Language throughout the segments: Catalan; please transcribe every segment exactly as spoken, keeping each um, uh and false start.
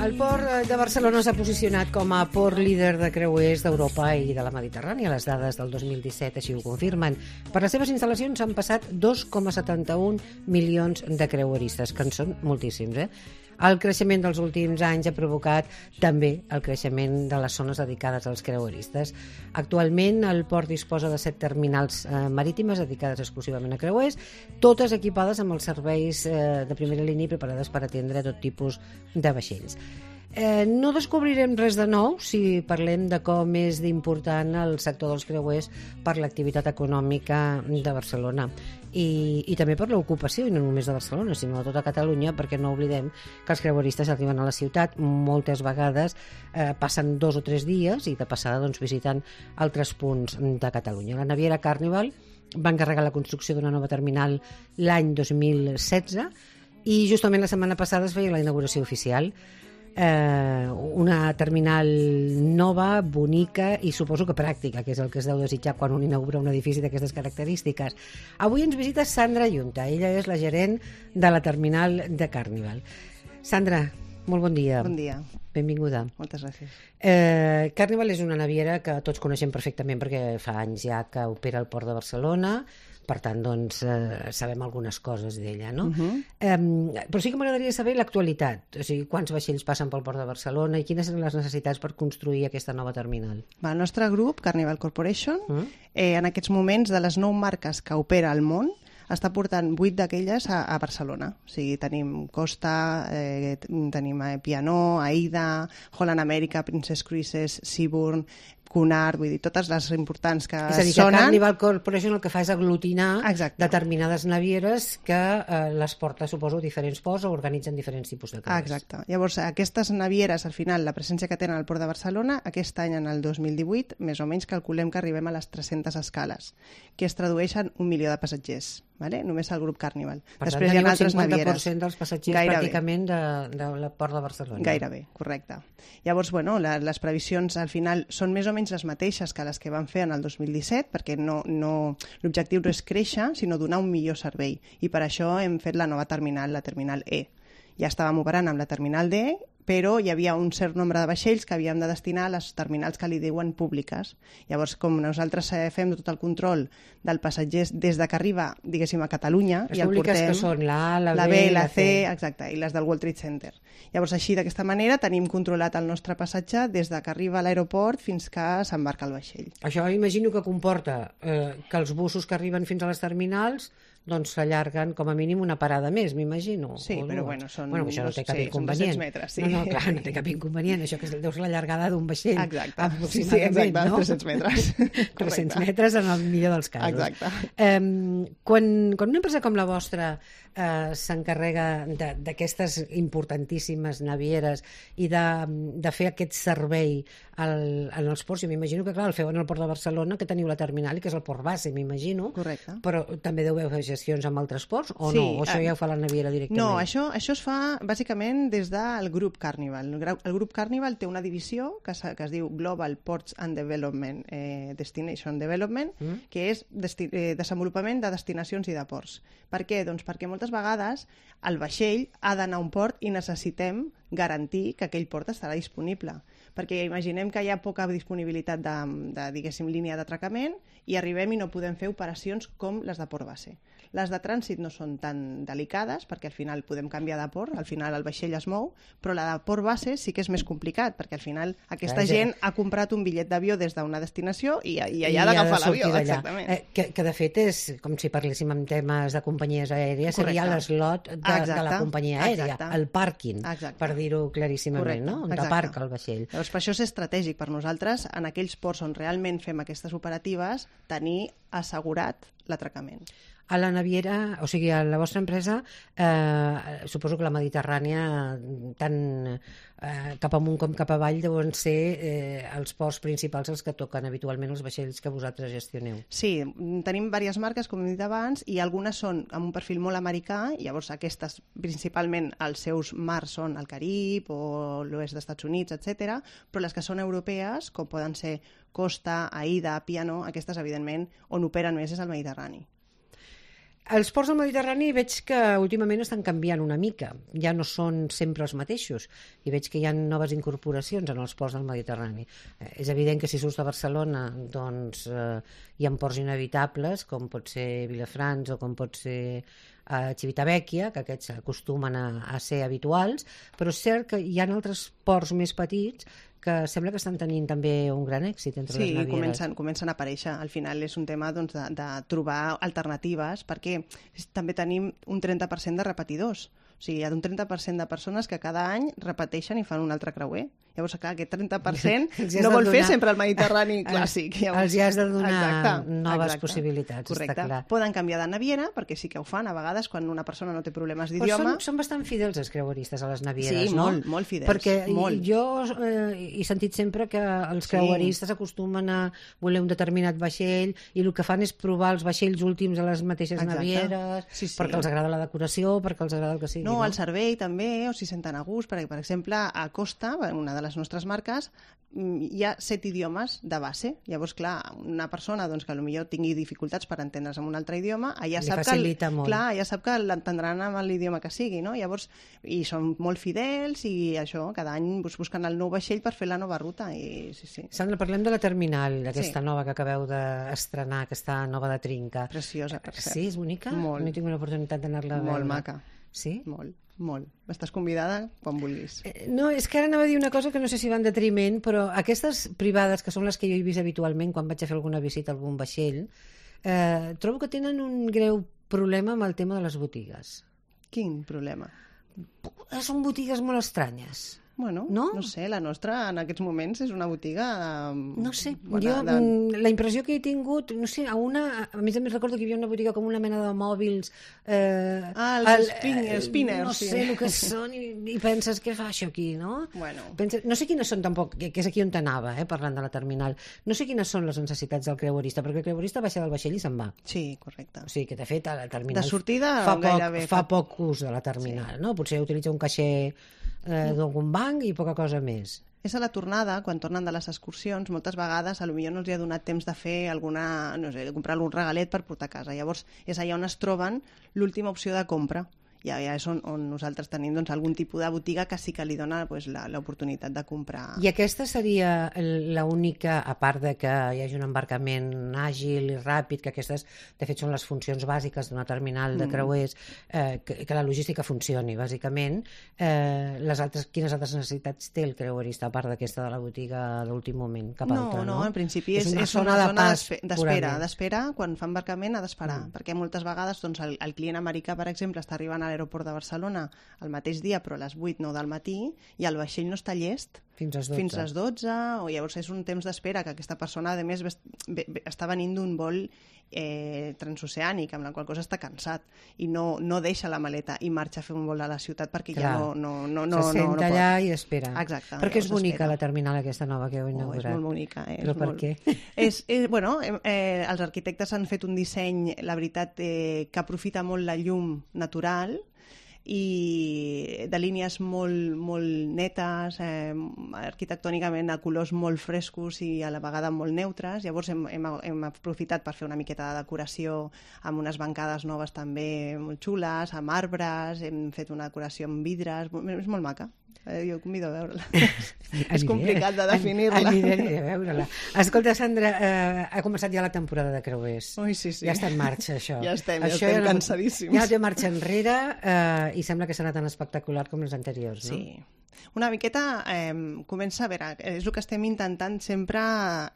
El port de Barcelona s'ha posicionat com a port líder de creuers d'Europa i de la Mediterrània. Les dades del dos mil disset així ho confirmen. Per les seves instal·lacions han passat dos coma setanta-un milions de creueristes, que en són moltíssims, eh? El creixement dels últims anys ha provocat també el creixement de les zones dedicades als creueristes. Actualment el port disposa de set terminals eh, marítimes dedicades exclusivament a creuers, totes equipades amb els serveis eh, de primera línia i preparades per atendre tot tipus de vaixells. Eh, no descobrirem res de nou si parlem de com és d'important el sector dels creuers per l'activitat econòmica de Barcelona i, i també per l'ocupació, i no només de Barcelona, sinó de tota Catalunya, perquè no oblidem que els creueristes arriben a la ciutat moltes vegades, eh, passen dos o tres dies i de passada doncs, visiten altres punts de Catalunya. La naviera Carnival va encarregar la construcció d'una nova terminal l'any dos mil setze i justament la setmana passada es feia la inauguració oficial. Eh, una terminal nova, bonica i suposo que pràctica, que és el que es deu desitjar quan un inaugura un edifici d'aquestes característiques. Avui ens visita Sandra Yunta, ella és la gerent de la terminal de Carnival. Sandra, molt bon dia. Bon dia. Benvinguda. Moltes gràcies. Eh, Carnival és una naviera que tots coneixem perfectament perquè fa anys ja que opera al port de Barcelona, per tant, doncs, eh, sabem algunes coses d'ella, no? Uh-huh. eh, però sí que m'agradaria saber l'actualitat, o sigui, quants vaixells passen pel port de Barcelona i quines són les necessitats per construir aquesta nova terminal. Va, el nostre grup, Carnival Corporation, uh-huh. eh, en aquests moments, de les nou marques que opera al món, està portant vuit d'aquelles a, a Barcelona. O sigui, tenim Costa, eh, tenim eh, Pianó, Aida, Holland America, Princess Cruises, Seabourn, Cunard, vull dir, totes les importants que sonen. És a dir, que sonen... Carnival Corporation el que fa és aglutinar Exacte. determinades navieres que eh, les porta, suposo, a diferents ports o organitzen diferents tipus de creuers. Exacte. Llavors, aquestes navieres, al final, la presència que tenen al port de Barcelona, aquest any, en el dos mil divuit, més o menys calculem que arribem a les tres-centes escales, que es tradueixen un milió de passatgers. Vale? Només el grup Carnival. Per Després tant, hi ha tenim el altres cinquanta per cent navieres. dels passatgers Gairebé. pràcticament de, de la port de Barcelona. Gairebé, correcte. Llavors, bueno, la, les previsions al final són més o menys les mateixes que les que van fer en el dos mil disset, perquè no, no, l'objectiu no és créixer, sinó donar un millor servei. I per això hem fet la nova terminal, la terminal E. Ja estàvem operant amb la terminal D, però hi havia un cert nombre de vaixells que havíem de destinar a les terminals que li diuen públiques. Llavors, com nosaltres fem tot el control del passatger des de que arriba, diguéssim, a Catalunya, les i el públiques portem... que són la A, la, la B, B, la la C, C. exacte, i les del World Trade Center. Llavors, així, d'aquesta manera, tenim controlat el nostre passatge des de que arriba a l'aeroport fins que s'embarca el vaixell. Això imagino que comporta eh, que els bussos que arriben fins a les terminals doncs s'allarguen com a mínim una parada més, m'imagino. Sí, o però dues. bueno, són, bueno, això no té cap sí, inconvenient. són dos-cents metres, sí. No, no, clar, no té cap inconvenient. Això que deu ser la llargada d'un vaixell. Exacte, sí, aproximadament, sí, exacte, no? tres-cents metres. tres-cents metres en el millor dels casos. Exacte. Eh, quan, quan una empresa com la vostra eh, s'encarrega d'aquestes importantíssimes navieres i de, de fer aquest servei al, en els ports, jo m'imagino que clar, el feu en el port de Barcelona, que teniu la terminal i que és el port base, m'imagino. Correcte. Però també deu fer gestions amb altres ports o sí, no? O això ja ho fa la naviera directament? No, això, això es fa bàsicament des del grup Carnival. El grup Carnival té una divisió que, que es diu Global Ports and Development eh, Destination Development, mm. que és desti eh, desenvolupament de destinacions i de ports. Per què? Doncs perquè moltes vegades el vaixell ha d'anar a un port i necessitem garantir que aquell port estarà disponible. Perquè imaginem que hi ha poca disponibilitat de, de diguéssim, línia d'atracament i arribem i no podem fer operacions com les de port base. Les de trànsit no són tan delicades perquè al final podem canviar de port, al final el vaixell es mou, però la de port base sí que és més complicat perquè al final aquesta Clar, gent ha comprat un bitllet d'avió des d'una destinació i, i allà ha d'agafar l'avió. Exactament. Eh, que, que de fet és com si parléssim en temes de companyies aèries, Correcte. Seria l'eslot de, de la companyia aèria, Exacte. el pàrquing, Exacte. Per dir-ho claríssimament, Correcte. no? On Exacte. aparca el vaixell. Llavors, per això és estratègic per nosaltres, en aquells ports on realment fem aquestes operatives, tenir assegurat l'atracament. A la naviera, o sigui, a la vostra empresa, eh, suposo que la Mediterrània, tant eh, cap amunt com cap avall, deuen ser eh, els ports principals els que toquen habitualment els vaixells que vosaltres gestioneu. Sí, tenim diverses marques, com hem dit abans, i algunes són amb un perfil molt americà, i llavors aquestes, principalment, els seus mars són el Carib o l'oest dels Estats Units, etcètera, però les que són europees, com poden ser Costa, Aida, Piano, aquestes, evidentment, on operen més és el Mediterrani. Els ports del Mediterrani veig que últimament estan canviant una mica, ja no són sempre els mateixos, i veig que hi ha noves incorporacions en els ports del Mediterrani. Eh, és evident que si surts de Barcelona doncs eh, hi ha ports inevitables, com pot ser Vilafranca o com pot ser a Civitavecchia, que aquests acostumen a, a ser habituals, però és cert que hi ha altres ports més petits que sembla que estan tenint també un gran èxit entre sí, les navieres. Sí, comencen, comencen a aparèixer. Al final és un tema doncs, de, de trobar alternatives, perquè també tenim un trenta per cent de repetidors. O sigui, hi ha un trenta per cent de persones que cada any repeteixen i fan un altre creuer. Llavors, clar, aquest trenta per cent no vol donar... fer sempre el Mediterrani clàssic. Llavors... Els hi has de donar exacte, noves exacte. possibilitats, correcte. Està clar. Poden canviar de naviera, perquè sí que ho fan a vegades quan una persona no té problemes d'idioma. Però són, són bastant fidels els creueristes a les navieres, sí, no? molt, molt fidels. Perquè molt. jo eh, he sentit sempre que els creueristes sí. acostumen a voler un determinat vaixell i el que fan és provar els vaixells últims a les mateixes exacte. navieres, sí, sí. perquè els agrada la decoració, perquè els agrada el que sigui. No, no? El servei també, o s'hi senten a gust, perquè, per exemple, a Costa, una de les nostres marques, hi ha set idiomes de base. Llavors, clar, una persona doncs, que potser tingui dificultats per entendre's en un altre idioma, ja sap, que, el, clar, ja sap que l'entendran amb l'idioma que sigui, no? Llavors, i són molt fidels i això, cada any busquen el nou vaixell per fer la nova ruta. I, sí, sí. Sandra, parlem de la terminal, aquesta sí. nova que acabeu d'estrenar, aquesta nova de Trinca. Preciosa, per cert. Sí, és bonica? Molt. No he tingut l'oportunitat d'anar-la a veure. Molt maca. Sí? Molt. Molt. Estàs convidada quan vulguis. No, és que ara anava a dir una cosa que no sé si va en detriment, però aquestes privades, que són les que jo he vist habitualment quan vaig a fer alguna visita a algun vaixell, eh, trobo que tenen un greu problema amb el tema de les botigues. Quin problema? Són botigues molt estranyes. Bueno, no? no sé, la nostra en aquests moments és una botiga... No sé, bona, jo de... la impressió que he tingut, no sé, a una... A més a més recordo que hi havia una botiga com una mena de mòbils... Eh, ah, els el, spin, eh, spinners. No sí. sé el que són i, i penses, què fa això aquí, no? Bueno. Penses, no sé quines són tampoc, que és aquí on t'anava, eh, parlant de la terminal, no sé quines són les necessitats del creuerista, perquè el creuerista baixa del vaixell i se'n va. Sí, correcte. O sigui, que de fet a la terminal... De sortida fa poc, gairebé... Fa poc ús de la terminal, sí. no? Potser utilitza un caixer eh, d'algun banc i poca cosa més. És a la tornada, quan tornen de les excursions, moltes vegades a lo millor no els hi ha donat temps de fer alguna, no sé, de comprar algun regalet per portar a casa. Llavors és allà on es troben l'última opció de compra. Ja, ja és on, on nosaltres tenim doncs, algun tipus de botiga que sí que li dona pues, l'oportunitat de comprar. I aquesta seria l'única, a part de que hi hagi un embarcament àgil i ràpid, que aquestes de fet són les funcions bàsiques d'una terminal de creuers, eh, que, que la logística funcioni bàsicament, eh, les altres, quines altres necessitats té el creuerista a part d'aquesta de la botiga d'últim moment cap no, altra? No, no, en principi és, és una és zona, una zona zona d'espera, d'espera, quan fa embarcament ha d'esperar, mm. perquè moltes vegades doncs, el, el client americà, per exemple, està arribant a l'aeroport de Barcelona el mateix dia, però a les vuit o nou del matí, i el vaixell no està llest fins a les dotze. Fins a les dotze, o llavors és un temps d'espera que aquesta persona, a més, està venint d'un vol eh, transoceànic, amb la qual cosa està cansat, i no, no deixa la maleta i marxa a fer un vol a la ciutat perquè Clar. ja no, no, no, no, Se senta no, no allà pot. i espera. Exacte. Perquè és bonica espera. la terminal aquesta nova que heu inaugurat. Oh, és molt bonica. Eh? Però és per molt... què? És, és, bueno, eh, els arquitectes han fet un disseny, la veritat, eh, que aprofita molt la llum natural, i de línies molt, molt netes, eh, arquitectònicament a colors molt frescos i a la vegada molt neutres. Llavors hem, hem, hem aprofitat per fer una miqueta de decoració amb unes bancades noves també molt xules, amb arbres, hem fet una decoració amb vidres, és molt maca. Eh, jo convido a veure-la. És complicat de definir-la. Aniré, aniré a veure-la. Escolta, Sandra, eh, ha començat ja la temporada de creuers. Ui, sí, sí. Ja està en marxa, això. Ja estem, ja això estem ja cansadíssims. Ja té marxa enrere eh, i sembla que serà tan espectacular com les anteriors, no? Sí. Una miqueta eh, comença a veure, és el que estem intentant sempre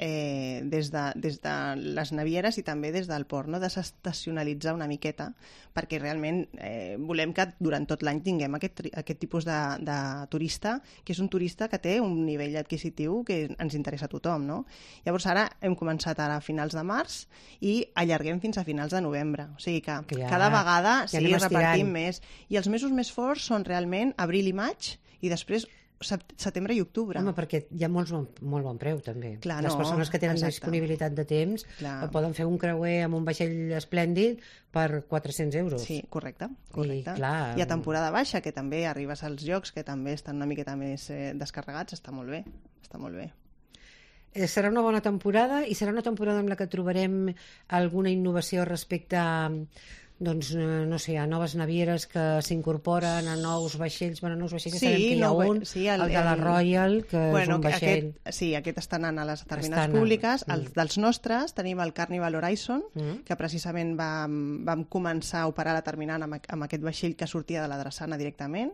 eh, des, de, des de les navieres i també des del port, no? Desestacionalitzar una miqueta, perquè realment eh, volem que durant tot l'any tinguem aquest, aquest tipus de, de turista, que és un turista que té un nivell adquisitiu que ens interessa a tothom, no? Llavors ara hem començat ara a finals de març i allarguem fins a finals de novembre, o sigui que, que ja, cada vegada ja sí, repartim més. I els mesos més forts són realment abril i maig, i després setembre i octubre. Home, perquè hi ha molts, molt bon preu, també. Clar, Les no, persones que tenen exacte. disponibilitat de temps Clar. poden fer un creuer amb un vaixell esplèndid per quatre-cents euros. Sí, correcte. correcte. I, clar, I a temporada baixa, que també arribes als llocs que també estan una miqueta més eh, descarregats, està molt bé. Està molt bé. Eh, serà una bona temporada i serà una temporada en la que trobarem alguna innovació respecte a doncs, no sé, hi ha noves navieres que s'incorporen a nous vaixells, bueno, nous vaixells, Sí, sabem que hi ha no, un, sí, el, el- el de la el- Royal, que Bueno, és un vaixell... aquest, sí, aquest està anant a les terminals Està anant, públiques. mm. Els, dels nostres tenim el Carnival Horizon, Mm. que precisament vam, vam començar a operar la terminal amb, amb aquest vaixell que sortia de la Drassana directament,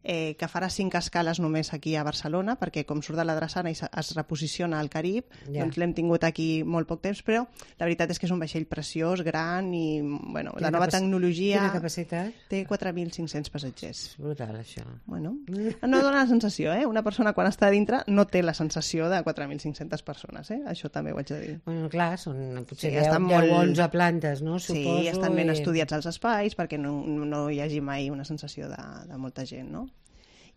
eh, que farà cinc escales només aquí a Barcelona, perquè com surt de la Drassana i se- es reposiciona al Carib, Ja. doncs l'hem tingut aquí molt poc temps, però la veritat és que és un vaixell preciós, gran i bueno, Quina la nova capaci- tecnologia Quina capacitat? té quatre mil cinc-cents passatgers. És brutal, això. Bueno, no dona la sensació, eh? Una persona quan està a dintre no té la sensació de quatre mil cinc-centes persones, eh? Això també ho haig de dir. Bueno, clar, són potser Sí, deu, estan deu molt- onze plantes, no? Suposo, Sí, estan ben i- estudiats els espais perquè no, no hi hagi mai una sensació de, de molta gent, no?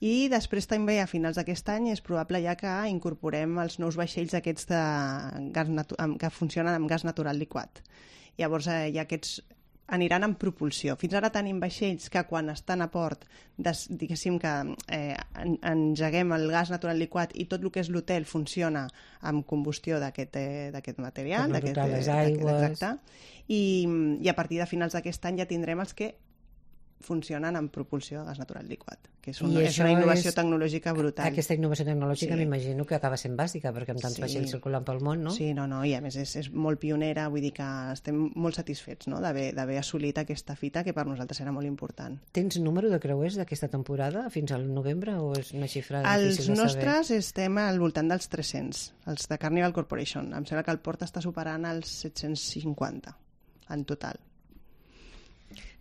I després també a finals d'aquest any és probable ja que incorporem els nous vaixells aquests de gas natu- amb- que funcionen amb gas natural liquat. Llavors eh, ja aquests aniran en propulsió. Fins ara tenim vaixells que quan estan a port, des, diguéssim que eh, en, engeguem el gas natural liquat i tot el que és l'hotel funciona amb combustió d'aquest eh, d'aquest material. Per no d'aquest, tocar les eh, d'aquest- aigües. Exacte. I, I a partir de finals d'aquest any ja tindrem els que funcionen amb propulsió de gas natural liquat, que és una, I és això una innovació és- tecnològica brutal. Aquesta innovació tecnològica Sí. m'imagino que acaba sent bàsica, perquè amb tants Sí. vaixells circulant pel món, no? Sí, no, no, i a més és, és molt pionera, vull dir que estem molt satisfets, no?, d'haver d'haver assolit aquesta fita que per nosaltres era molt important. Tens número de creuers d'aquesta temporada fins al novembre o és una xifra Els difícil de saber? nostres estem al voltant dels tres-cents, els de Carnival Corporation. Em sembla que el port està superant els set-cents cinquanta en total.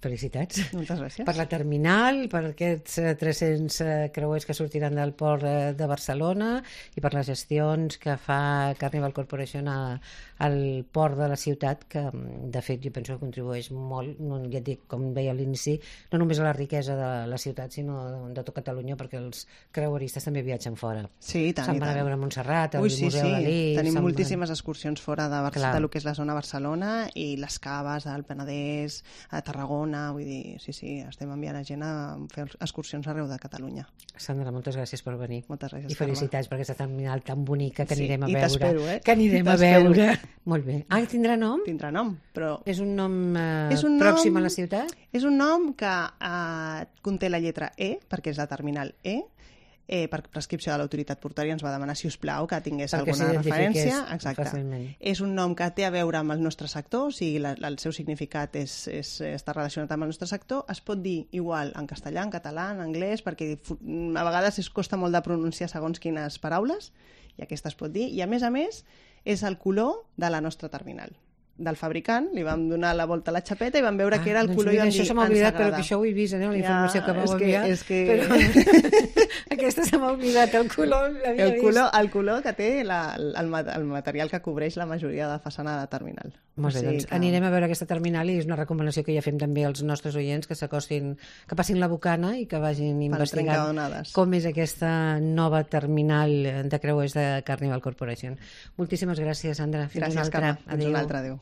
Felicitats. Moltes gràcies. Per la terminal, per aquests eh, tres-cents eh, creuers que sortiran del port eh, de Barcelona i per les gestions que fa Carnival Corporation a, al port de la ciutat, que mm, de fet jo penso que contribueix molt, no, ja et dic, com deia a l'inici, no només a la riquesa de la ciutat, sinó de, de tot Catalunya, perquè els creueristes també viatgen fora. Sí, i tant, Se'n i van a tant. veure Montserrat, el Ui, sí, Museu sí. Dalí... Tenim se'n van- moltíssimes excursions fora de, Bar Clar. de lo que és la zona Barcelona i les caves al Penedès, a Tarragona, vull dir, sí, sí, estem enviant a gent a fer excursions arreu de Catalunya. Sandra, moltes gràcies per venir. Moltes gràcies, I felicitats per aquesta terminal tan bonica que Sí, anirem a i veure. t'espero, eh? Que anirem a T'espero. veure. Molt bé. Ah, tindrà nom? Tindrà nom, però És un nom, eh, És un pròxim nom- a la ciutat? és un nom que eh, conté la lletra E, perquè és la terminal E, eh, per prescripció de l'autoritat portuària ens va demanar, si us plau, que tingués Perquè alguna s'identifiqués referència. Exacte. fàcilment. És un nom que té a veure amb el nostre sector, o sigui, la, la, el seu significat és, és, està relacionat amb el nostre sector. Es pot dir igual en castellà, en català, en anglès, perquè fu- a vegades es costa molt de pronunciar segons quines paraules, i aquesta es pot dir. I a més a més, és el color de la nostra terminal. Del fabricant, li vam donar la volta a la xapeta i vam veure que era el doncs color mira, i vam dir, això se m'ha ens oblidat, però agrada. que això ho he vist, eh, la Ja, informació que vau és que- enviar. és que- Però aquesta se m'ha oblidat, el color l'havia El vist. color, el color que té la, el, ma- el material que cobreix la majoria de façana de terminal. Molt bé, O sigui doncs que- anirem a veure aquesta terminal i és una recomanació que ja fem també als nostres oients que s'acostin, que passin la bocana i que vagin investigant trencadonades. com és aquesta nova terminal de creuers de Carnival Corporation. Moltíssimes gràcies, Sandra. Fins Gràcies, una altra. Carme. Fins una altra. Adéu.